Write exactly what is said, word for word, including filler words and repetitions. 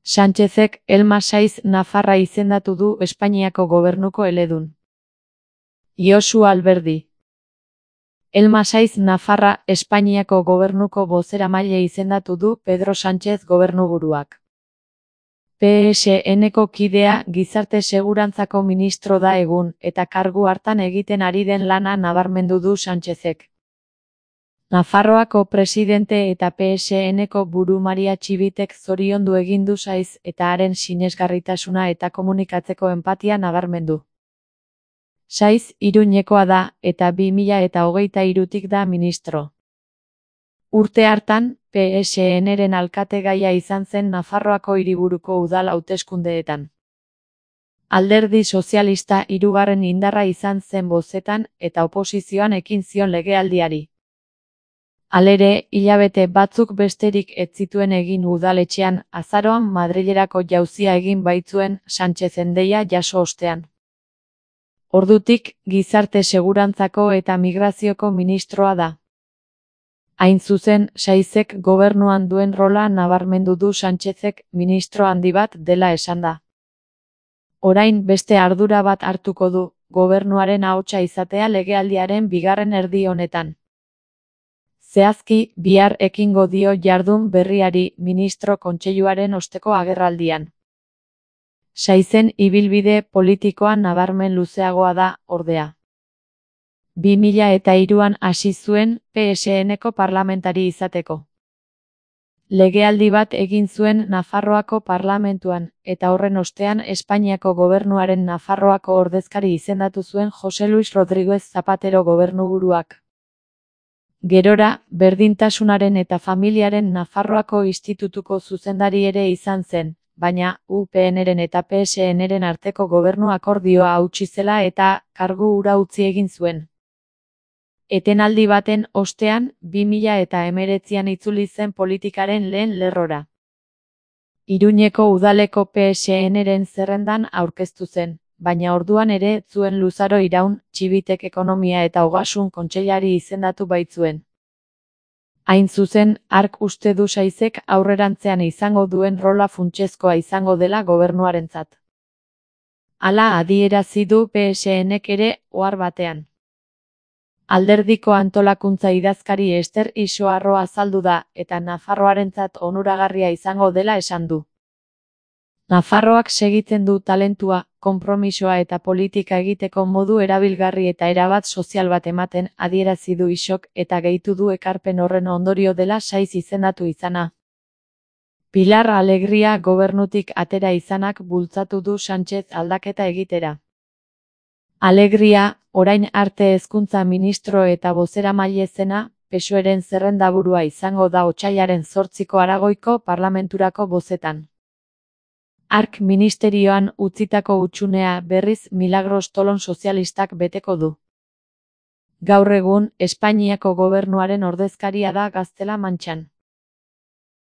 Sánchezek Elma Saiz Nafarra izendatu du Espainiako gobernuko eledun. Josu Alberdi. Elma Saiz Nafarra Espainiako gobernuko bozeramaile izendatu du Pedro Sánchez gobernuburuak. P S N-ko kidea gizarte segurantzako ministro da egun, eta kargu hartan egiten ari den lana nabarmendu du Sánchezek. Nafarroako presidente eta P S N-ko buru Maria Txibitek zoriondu egin du Saiz eta haren sinesgarritasuna eta komunikatzeko enpatia nabarmendu. Saiz Iruñekoa da eta bi mila eta hogeita hirutik da ministro. Urte hartan, P S N-ren alkategaia izan zen Nafarroako hiriburuko udal hauteskundeetan. Alderdi sozialista hirugarren indarra izan zen bozetan eta oposizioan ekin zion legealdiari. Halere, hilabete batzuk besterik ez zituen egin udaletxean, azaroan Madrilerako jauzia egin baitzuen Sánchezen deia jaso ostean. Ordutik, gizarte segurantzako eta migrazioko ministroa da. Hain zuzen, Saizek gobernuan duen rola nabarmendu du Sánchezek ministro handi bat dela esan da. Orain beste ardura bat hartuko du, gobernuaren ahotsa izatea legealdiaren bigarren erdi honetan. Zehazki, bihar ekingo dio jardun berriari ministro kontseiluaren osteko agerraldian. Saizen ibilbide politikoan nabarmen luzeagoa da, ordea. bi mila eta hiruan hasi zuen P S N-ko parlamentari izateko. Legealdi bat egin zuen Nafarroako parlamentuan, eta horren ostean Espainiako gobernuaren Nafarroako ordezkari izendatu zuen Jose Luis Rodríguez Zapatero gobernuburuak. Gerora, berdintasunaren eta familiaren Nafarroako institutuko zuzendari ere izan zen, baina U P N-ren eta P S N-ren arteko gobernu akordioa hautsi zela eta kargu hura utzi egin zuen. Etenaldi baten ostean, bi mila eta hemeretzian itzuli zen politikaren lehen lerrora. Iruñeko udaleko P S N-ren zerrendan aurkeztu zen, baina orduan ere ez zuen luzaro iraun, Txibitek ekonomia eta ogasun kontseilari izendatu baitzuen. Hain zuzen, hark uste du Saizek aurrerantzean izango duen rola funtsezkoa izango dela gobernuarentzat. Hala adierazi du P S N-ek ere ohar batean. Alderdiko antolakuntza idazkari Ester Isoarro azaldu da, eta Nafarroarentzat onuragarria izango dela esan du. Nafarroak segitzen du talentua, konpromisoa eta politika egiteko modu erabilgarri eta erabat sozial bat ematen adierazi du Isok eta gehitu du ekarpen horren ondorio dela Saiz izendatu izana. Pilar Alegria gobernutik atera izanak bultzatu du Sánchez aldaketa egitera. Alegria, orain arte hezkuntza ministro eta bozeramaile zena, P S O E-ren zerrendaburua izango da otsailaren zortziko Aragoiko parlamenturako bozetan. Hark ministerioan utzitako hutsunea berriz Milagros Tolon sozialistak beteko du. Gaur egun, Espainiako gobernuaren ordezkaria da Gaztela-Mantxan.